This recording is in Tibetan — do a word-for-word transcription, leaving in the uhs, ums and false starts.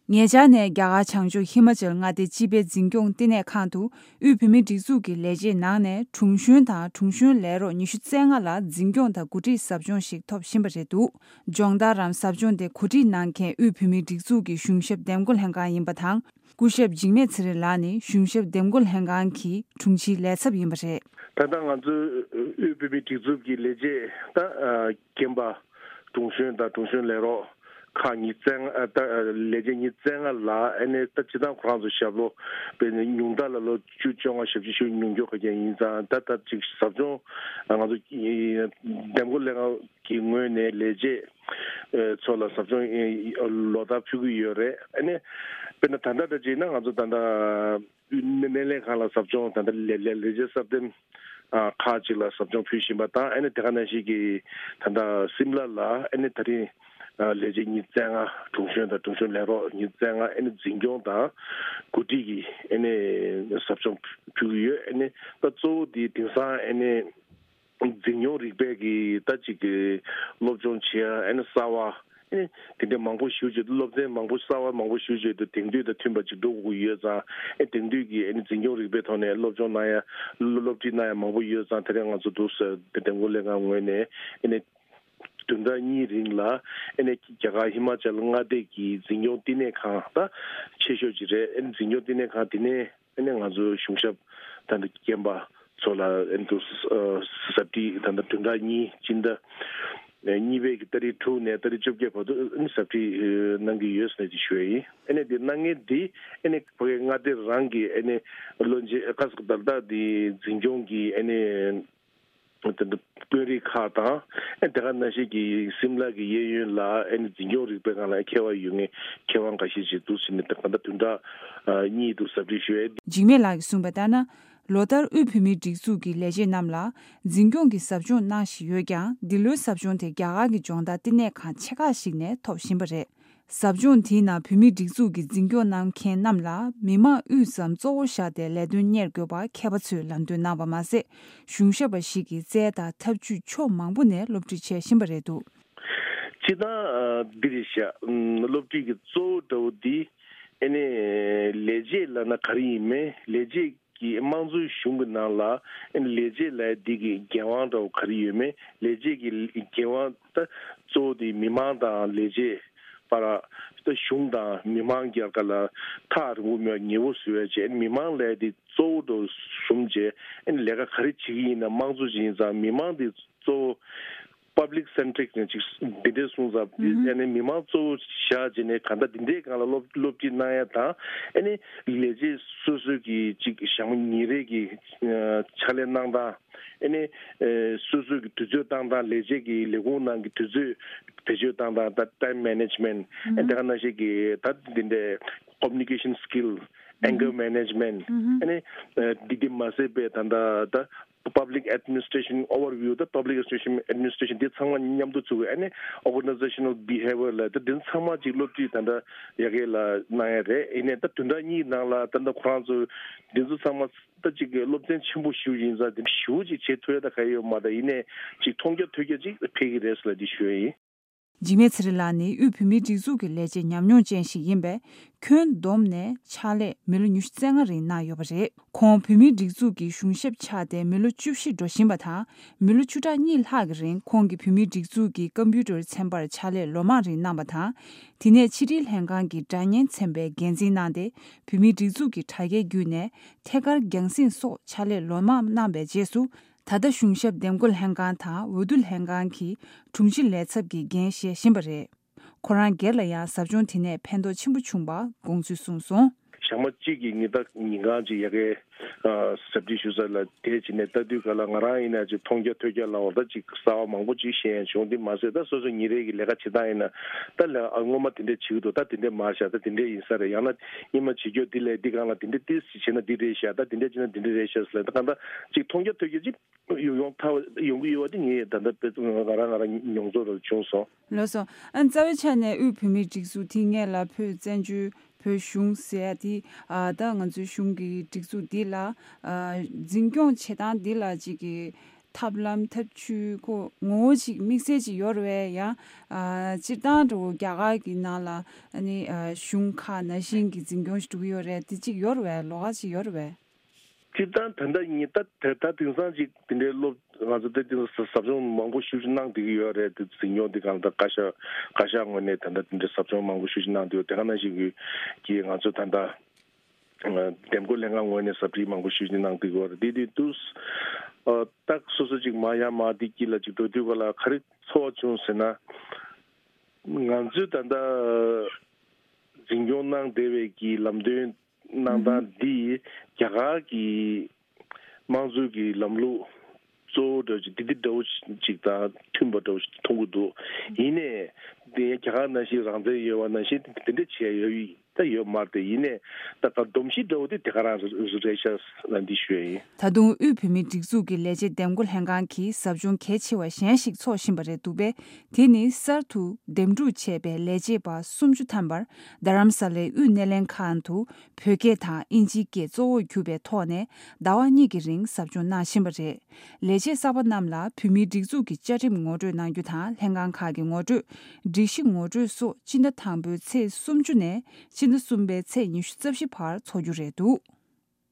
ཉེ་ཆར་ནས་རྒྱ་གར་བྱང་ཕྱོགས་ཧི་མ་ཅལ་མངའ་སྡེའི་སྤྱི་པའི་འཛིན་སྐྱོང་བསྟི་གནས་ཁང་དུ་དབུས་བོད་མིའི་སྒྲིག་འཛུགས་ཀྱི་ལས་བྱེད་ནང་ནས་དྲུང་གཞོན་དང་དྲུང་གཞོན་ལས་རོགས་ཉི་ཤུ་རྩ་ལྔ་ལ་འཛིན་སྐྱོང་དང་འགོ་ཁྲིད་ཟབ་སྦྱོང་ཞིག་ཐོབ་བཞིན་པ་རེད་འདུག་སྦྱོང་བརྡར་རམ་ཟབ་སྦྱོང་དེ་གོ་སྒྲིག་གནང་མཁན་དབུས་བོད་མིའི་སྒྲིག་འཛུགས་ཀྱི་གཞུང་ཞབས་འདེམས་བསྐོ་ལྷན་ཁང་ཡིན་པ་དང་། སྐུ་ཞབས་འཇིགས་མེད་ཚེ་རིང་ལགས་ནི་གཞུང་ཞབས་འདེམས་བསྐོ་ལྷན་ཁང་གི་དྲུང་ཆེའི་ལས་ཚབ་ཡིན་པ་རེད། ད་ལྟ་ང་ཚོའི་དབུས་བོད་མིའི་སྒྲིག་འཛུགས་ཀྱི་ལས་བྱེད་ད་རྒན་པ་དྲུང་གཞོན་དང་དྲུང་གཞོན་ལས་རོགས་ཁག་ཉི་ཤུ་རྩ་ལྔ་ད་ལས་བྱེད་ཉི་ཤུ་རྩ་ལྔ་ལ་ཨ་ནི་ད་སྤྱི་བཏང་ཁོ་རང་ཚོ་ཞབས་ལོ་དཔེར་ན་ཉུང་མཐའ་ལ་ལོ་བཅུ་བཅོ་ལྔ་ཞེ་བཞི་ཞུ་ཉུང་མགྱོགས་ག་རྒྱ་ཡིན་ཙང་ད་ད་ཅིག་ཟབ་སྦྱོང་ང་ཚོ་འདེམས་བསྐོ་ལྷན་ཁང་གི་ངོས་ནས་ལས་བྱེད་ཚོ་ལ་ཟབ་སྦྱོང་ལོ་ལྟར་ཕུལ་གྱི་ཡོད་རེད། ཨ་ནི་དཔེར་ན་ད་ལྟ་འདྲ་བྱས་ན་ང་ཚོ་ད་ལྟ་སྣེ་ལེན་ཁང་ལ་ཟབ་སྦྱོང་ད་ལྟ་ལས་ལས་ལས་བྱེད་གསར་འདེམས་ཁག་ཅིག་ལ་ཟབ་སྦྱོང་ཕུལ་བཞིན་པ་དང་ཨ་ནི་དེ་ག་ནང་བཞིན་གྱི་ད་ལྟ་སིམ་ལ་ལ་ཨ་ནི་ད་རིང་ལས་བྱེད་ཉི་ཤུ་རྩ་ལྔ་དྲུང་གཞོན་དང་དྲུང་གཞོན་ལས་རོགས་ཉི་ཤུ་རྩ་ལྔ་ཨ་ནི་འཛིན་སྐྱོང་དང་གོ་སྒྲིག་གི་ཨ་ནི་ཟབ་སྦྱོང་ཕུལ་གྱི་ཡོད། ཨ་ནི་ད་གཙོ་བོ་དེ་དེང་སང་ཨ་ནི་འཛིན་སྐྱོང་རིག་པའི་གི་ད་ཅིག་གི་སློབ་སྦྱོང་བྱེད་ཡ་ཨ་ནི་གསར་བ་ཨ་ནི་དེ་འདྲ་མང་པོ་ཞིག་བྱེད་དུས་སློབ་ཚན་མང་པོ་གསར་བ་མང་པོ་ཞིག་བྱེད་དུས་དེང་དུས་དང་མཐུན་པ་ཅིག་འགྲོ་དགོས་ཀྱི་ཡོད་ཙང་ཨ་དེང་དུས་ཀྱི་ཨ་ནི་འཛིན་སྐྱོང་རིག་པའི་ཐོག་ནས་སློབ་སྦྱོང་གནང་ཡ་སློབ་ཁྲིད་གནང་ཡ་མང་པོ་ཡོད་ཙང་དེ་རིང་ང་ཚོ་འདུག་ཟེར་དེ་འདེམས་བསྐོ་ལྷན་ཁང་ངོས་ནས་ཨ་ནི་བདུན་ཕྲག་གཉིས་རིང་ལ་ཨ་ནི་རྒྱ་གར་ཧི་མ་ཅལ་མངའ་སྡེ་གི་འཛིན་སྐྱོང་བསྟི་གནས་ཁང་ད་ཆེ་ཤོས་ཅིག་རེད། ཨ་ནི་འཛིན་སྐྱོང་བསྟི་གནས་ཁང་དེ་ནས། ཨ་ནི་ང་ཚོའི་གཞུང་ཞབས་ད་ལྟ་རྒན་པ་ཚོ་ལ་ཨ་ནི་དུ་ཟབ་ཁྲིད་ད་ལྟ་བདུན་ཕྲག་གཉིས་སྤྱི་ཟླ་གཉིས་པའི་གི་ཏ་རིག་དྲུག་ནས་ཏ་རིག་བཅོ་བརྒྱད་བར་དུ་ཨ་ནི་ཟབ་ཁྲིད་གནང་གི་ཡོད་ཟེར་ནས་ཅིག་ཞུ་ཡ་ཡིན། ཨ་ནི་དེ་གནང་མཁན་འདི་ཨ་ནི་ཕ་གི་མངའ་སྡེ་རང་གི་ཨ་ནི་བློན་ཆེན་ཁ་སང་ད་ལྟ་དེ་འཛིན་སྐྱོང་གི་ཨ་ནི། དེ་འདྲ་དཔོན་རིགས་ཁག་དང་ཨེ་དེ་ག་ནང་བཞིན་གྱི་སིམ་ལ་གི་གཡས་གཡོན་ལ་ཨེ་ནི་འཛིན་སྐྱོང་རིག་པའི་སྒང་ལ་མཁས་པ་ཡོད་མཁན་མཁས་དབང་འགའ་ཤས་ཅིག་འདུག་ཟེར་ནས་ད་ག་ད་བདུན་ཕྲག་གཉིས་འདུག་ཟབ་ཁྲིད་ཞུ་ཡས། འཇིགས་མེད་ལགས་ཀྱིས་གསུངས་པ་ལྟར་ན། ལོ་ལྟར་དབུས་བོད་མིའི་སྒྲིག་འཛུགས་ཀྱི་ལས་བྱེད་རྣམས་ལ་འཛིན་སྐྱོང་གི་ཟབ་སྦྱོང་གནང་བཞིན་ཡོད་ཀྱང་འདི་ལོའི་ཟབ་སྦྱོང་དེ་རྒྱ་གར་གྱི་སྦྱོང་བརྡར་བསྟི་གནས་ཁང་ཆེ་ཁག་ཞིག་ནས་ཐོབ་བཞིན་པ་རེད། ཟབ་སྦྱོང་དེའི་ནང་བོད་མིའི་སྒྲིག་འཛུགས་ཀྱི་འཛིན་སྐྱོང་གནང་མཁན་རྣམས་ལ་མི་མང་དབུས་སམ་གཙོ་བོ་བཞག་སྟེ་ལས་དོན་གཉེར་དགོས་པ་མཁས་པ་ཚོས་ལམ་སྟོན་གནང་བ་མ་ཟད། གཞུང་ཞབས་པ་ཞིག་གིས་རྩལ་དང་ཐབས་ཇུས་ཕྱོགས་མང་པོ་ནས་སློབ་ཁྲིད་བྱེད་བཞིན་པ་རེད་འདུག་སྤྱིར་བཏང་འདི་རེད་ཤག་སློབ་ཁྲིད་ཀྱི་གཙོ་བོ་འདྲ་བོ་འདི་ཨེ་ནས་ལས་བྱེད་ལབ་ན་ག་རེ་ཡིན་མིན་ལས་བྱེད་ཀྱི་དམངས་གཙོའི་གཞུང་གི་ནང་ལ་ཨེ་ནས་ལས་བྱེད་ལབ་ཡ་འདི་གི་འགན་དབང་འདྲ་བོ་ག་རེ་ཡོད་མེད་ལས་བྱེད་ཀྱི་འགན་དབང་ད་གཙོ་བོ་དེ་མི་མང་དང་ལས་བྱེད་བར་ད་གཞུང་དང་མི་མང་རྒྱལ་ཁ་ལ་ཐག་རིང་པོ་མེད་པ་ཉེ་པོ་བཟོ་ཡ་བྱས་མི་མང་ལབ་ཡ་དེ་གཙོ་བོ་འདྲ་བོ་བཟུང་བྱས་ཨེ་ནས་ལས་ཀ་ག་རེ་བྱེད་ཀྱི་ཡིན་ན་དམངས་གཙོ་ཅིག་ཡིན་ཙང་མི་མང་དེ་གཙོ་བོ། Public centric ནས་ཅིག་འདི་འདྲའི་གསུངས་ཙང་། ཨ་ནི་མི་མང་གཙོ་བོ་བཞག་བྱས་ནས་གང་ལྟར་འདི་འདྲའི་སྒང་ལ་སློབ་སློབ་ཁྲིད་གནང་ཡ་དང་ཨ་ནི་ལས་བྱེད་སོ་སོའི་གི་ཅིག་ཞག་མ་ཉིན་རེ་གི་ཕྱག་ལས་གནང་སྟངས་ཨ་ནི་སོ་སོའི་གི་དུས་ཚོད་བཏང་སྟངས་ལས་བྱེད་ཀྱི་ལས་ཁུངས་ནང་གི་དུས་ཚོད་བེད་སྤྱོད་བཏང་སྟངས་ད་time management ཨ་ནི་དེ་ག་ནང་བཞིན་གི་ད་འདི་འདྲའི་communication skill anger management ཨ་ནི་འདི་འདི་མ་ཟད་པའི་ད་ད་ད། Public administration overview ད་public administration administration འདི་ཚང་མ་མཉམ་དུ་བཙུགས་ཨ་ནི་organizational behavior ལ་ད་འདི་ཚང་མ་ཅིག་སློབ་ཁྲིད་ད་ལྟ་ཡ་གི་ལ་གནང་ཡ་རེད། ཡིན་ནའི་ད་བདུན་ཕྲག་གཉིས་ནང་ལ་ད་ལྟ་ཁོ་རང་ཚོ་འདི་ཚོ་ཚང་མ་ད་ཅིག་སློབ་ཚན་ཆེན་པོ་ཞིག་ཡིན་ཙང་འདི་ཞུ་ཅིག་བྱེད་ཐུབ་ཡ་ད་ག་ཡོད་མ་ད་ཡིན་ནའི་ཅིག་མཐོང་རྒྱ་ཐོས་རྒྱ་ཅིག་འཕེལ་གི་རེད་ཟེར་ལ་འདི་ཞུ་ཡ་ཡིན། འཇིགས་མེད་ཚེ་རིང་ལགས་ནི་དབུས་བོད་མིའི་སྒྲིག་འཛུགས་ཀྱི་ལས་བྱེད་ཉམས་མྱོང་ཅན་ཞིག་ཡིན་པས། ཁྱོན་བསྡོམས་ནས་ཕྱག་ལས་མི་ལོ་ཉི་ཤུ་རྩ་ལྔ་རིང་གནང་ཡོད་པ་རེད། ཁོང་བོད་མིའི་སྒྲིག་འཛུགས་ཀྱི་གཞུང་ཞབས་ཆགས་ཏེ་མི་ལོ་བཅུ་བཞི་འགྲོ་བཞིན་པ་དང་། མི་ལོ་བཅུ་ཕྲག་གཉིས་ལྷག་གི་རིང་ཁོང་གིས་བོད་མིའི་སྒྲིག་འཛུགས་ཀྱི་ཀམ་པུ་ཊར་ཚན་པར་ཕྱག་ལས་ལོ་མང་རིང་གནང་བ་དང་། དེ་ནས་ཕྱི་དྲིལ་ལྷན་ཁང་གི་སྒྲ་སྙན་ཚན་པའི་འགན་འཛིན་གནང་སྟེ། བོད་མིའི་སྒྲིག་འཛུགས་ཀྱི་དྲ་རྒྱའི་བརྒྱུད་ནས་ཐད་ཀར་རྒྱང་སྲིང་སོགས་ཕྱག་ལས་ལོ་མང་གནང་བའི་རྗེས་སུ། ད་ལྟ་གཞུང་ཞབས་འདེམས་བསྐོ་ལྷན་ཁང་དང་འོས་བསྡུ་ལྷན་ཁང་གི་དྲུང་ཆེ་ལས་ཚབ་ཀྱི་འགན་བཞེས་བཞིན་པ་རེད། ཁོ་རང་སྒེར་ལ་ཡང་ཟབ་སྦྱོང་དེ་ནས་ཕན་ཐོགས་ཆེན་པོ་བྱུང་བ་དགོངས་ཚུལ་གསུངས་སོང་། ཞག་མ་གཅིག་གི་ཉིན་ལྟར་ཉིན་གང་ཅིག་ཡ་གའི་ཟབ་ཁྲིད་ཞུ་ས་ལ་དེ་བྱས་ནས་ལྟ་དུས་ག་ལ་ང་རང་ཡིན་ན་ཅིག་མཐོང་རྒྱ་ཐོས་རྒྱ་ལ་འོ་ད་ཅིག་གསར་བ་མང་པོ་ཅིག་ཤེས་ཡ་བྱུང་། དེ་མ་ཟད་ད་སོ་སོ་ཉིན་རེ་གི་ལས་ཀ་བྱེད་སྟངས་ཡིན་ན་ད་ལས་ཨ་སྔོན་མ་དེ་འདྲས་བྱེད་ཀྱི་འདུག་ད་དེ་འདྲས་མ་བྱ་ད་དེ་འདྲས་ཡིན་ས་རེད། ཡང་ན་སྔོན་མ་བྱེད་རྒྱུ་དེ་ལས་འདི་གང་ལ་དེ་འདྲས་ཏིས་བྱས་ན་འདི་རེད་ཤག་ད་དེ་འདྲས་བྱས་ན་འདི་འདྲས་རེད་ཤག་ཟེར་ལ་ད་གང་ད་ཅིག་མཐོང་རྒྱ་ཐོས་རྒྱ་ཅིག་ཡོང་ཡོང་ཐག་ཡོང་གི་ཡོད་པ་དེ་ངས་ད་ལྟ་དཔེ་ང་རང་ང་རང་མྱོང་ཚོར་ར་བྱུང་སོང་། ལགས་སོ། ཨ་རྩ་བའི་ཆ་ནས་དབུས་བོད་མིའི་སྒྲིག་འཛུགས་དེ་སྔས་ལ་བོད་བཙན་བྱོལ་བོད་གཞུང་ཟེར་ཡ་དེ་ཨ་ད་ང་ཚོའི་གཞུང་གི་སྒྲིག་འཛུགས་འདི་ལ་ཨ་འཛིན་སྐྱོང་བྱེད་སྟངས་འདི་ལ་ཅིག་གི་ ཐབས་ལམ་ཐབས་ཇུས་ཁོ་ངོ་བོ་ཅིག་དམིགས་བསལ་ཅིག་ཡོད་རེད་བས། ཡང་ཨ་སྤྱིར་བཏང་འགྲོ་རྒྱ་གར་གྱི་ནང་ལ་ཨ་ནི་ཨ་གཞུང་ཁག་ནང་བཞིན་གྱི་འཛིན་སྐྱོང་ཞིག་འགྲོ་གི་ཡོད་རེད། དེ་ཅིག་ཡོད་རེད་བས། ལོགས་ཀ་ཅིག་ཡོད་རེད་བས། སྤྱིར་བཏང་ད་ལྟ་ཉིད་ད་དེ་ད་དེང་སང་ཅིག་དེ་འདྲའི་སློབ་ང་ཚོ་དེ་དེང་སང་ཟབ་སྦྱོང་མང་པོ་ཞེ་པོ་ཅིག་གནང་བསྡད་ཀྱི་ཡོད་རེད། དེ་འཛིན་སྐྱོང་དེ་གང་ལྟར་བཀའ་ཤག་བཀའ་ཤག་ངོས་ནས་ད་ལྟ་དེ་འདྲའི་ཟབ་སྦྱོང་མང་པོ་ཞེ་པོ་ཅིག་གནང་བསྡད་ཡོད། དེ་ག་ནང་བཞིན་གྱི་གྱི་ང་ཚོ་ད་ལྟ་འདེམས་བསྐོ་ལྷན་ཁང་ངོས་ནས་ཟབ་ཁྲིད་མང་པོ་ཞེ་པོ་ཅིག་གནང་བསྡད་ཀྱི་ཡོད་རེད། དེ་དེ་དུས་ཨ་ཏག་སོ་སོ་ཅིག་མ་ཡ་མ་དེ་དཀྱིལ་ལ་ཅིག་འགྲོ་དུས་ག་ལ་ག་རེ་ཚོར་བ་བྱུང་ཟེར་ན། ང་ཚོས་ད་ལྟ་འཛིན་སྐྱོང་གནང་བསྡད་པའི་གི་ལམ་སྟོན་གནང་སྟངས་འདི་རྒྱ་གར་གྱི་དམངས་གཙོའི་གི་ལམ་ལུགས་གཙོ་བོ་འདྲ་བོ་ཅིག་འདི་འདི་འདྲ་བོ་ཅིག་དང་མཐུན་པ་འདྲ་བོ་ཅིག་མཐོང་གི་འདུག་ཡིན་ནའི་འདི་རྒྱ་གར་ནང་བཞིན་རང་བཙན་ཡོད་པ་ནང་བཞིན་དེ་འདྲ་བྱས་ཡོད་ད་ཡོད་མ་རེད། ཡིན་ནའི་ད་ག་སྡོམ་གཞི་འདྲ་བོ་དེ་དེ་ག་རང་རེད་ཤག་ལ་འདི་ཞུ་ཡ་ཡིན། ད་དུང་དབུས་བོད་མིའི་སྒྲིག་འཛུགས་ཀྱི་ལས་བྱེད་འདེམས་བསྐོ་ལྷན་ཁང་གིས་ཟབ་སྦྱོང་གལ་ཆེ་བ་གཞན་ཞིག་འཚོགས་བཞིན་པ་རེད་འདུག་པས། དེ་ནི་གསར་དུ་འདེམས་སྒྲུག་བྱས་པའི་ལས་བྱེད་པ་སུམ་ཅུ་ཐམ་པར་རྡ་རམ་ས་ལའི་དབུས་སྣེ་ལེན་ཁང་དུ་བོད་སྐད་དང་དབྱིན་ཇིའི་སྐད་གཙོ་བོར་གྱུར་པའི་ཐོག་ནས་ཟླ་བ་གཉིས་ཀྱི་རིང་ཟབ་སྦྱོང་གནང་བཞིན་པ་རེད། ལས་བྱེད་གསར་པ་རྣམས་ལ་བོད་མིའི་སྒྲིག་འཛུགས་ཀྱི་བཅའ་ཁྲིམས་ངོ་སྤྲོད་གནང་རྒྱུ་དང་། ལྷན་ཁང་ཁག་གི་ངོ་སྤྲོད། སྒྲིག་གཞི་ངོ་སྤྲོད་སོགས་སྤྱི་ཟླ་དང་པོའི་ཚེས་སུམ་ཅུ་ནས་སྤྱི་ཟླ་གསུམ་པའི་ཚེས་ཉི་ཤུ་རྩ་བཞི་བར་འཚོགས་རྒྱུ་རེད་འདུག